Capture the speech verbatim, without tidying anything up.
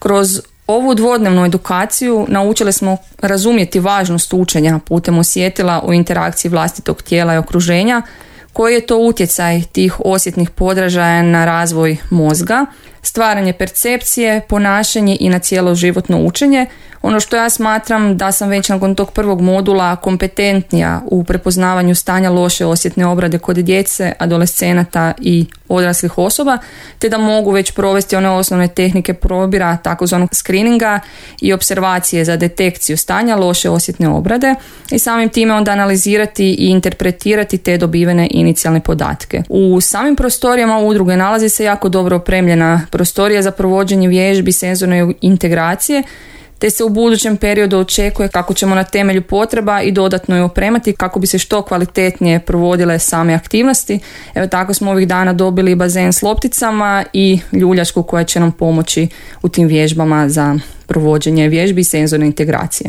Kroz ovu dvodnevnu edukaciju naučili smo razumjeti važnost učenja putem osjetila u interakciji vlastitog tijela i okruženja, koji je to utjecaj tih osjetnih podražaja na razvoj mozga, stvaranje percepcije, ponašanje i na cijelo životno učenje. Ono što ja smatram da sam već nakon tog prvog modula kompetentnija u prepoznavanju stanja loše osjetne obrade kod djece, adolescenata i odraslih osoba, te da mogu već provesti one osnovne tehnike probira, takozvanog screeninga i observacije za detekciju stanja loše osjetne obrade i samim time onda analizirati i interpretirati te dobivene inicijalne podatke. U samim prostorijama udruge nalazi se jako dobro opremljena prostorija za provođenje vježbi senzorne integracije, te se u budućem periodu očekuje kako ćemo na temelju potreba i dodatno je opremati kako bi se što kvalitetnije provodile same aktivnosti. Evo tako smo ovih dana dobili bazen s lopticama i ljuljačku koja će nam pomoći u tim vježbama za provođenje vježbi i senzorne integracije.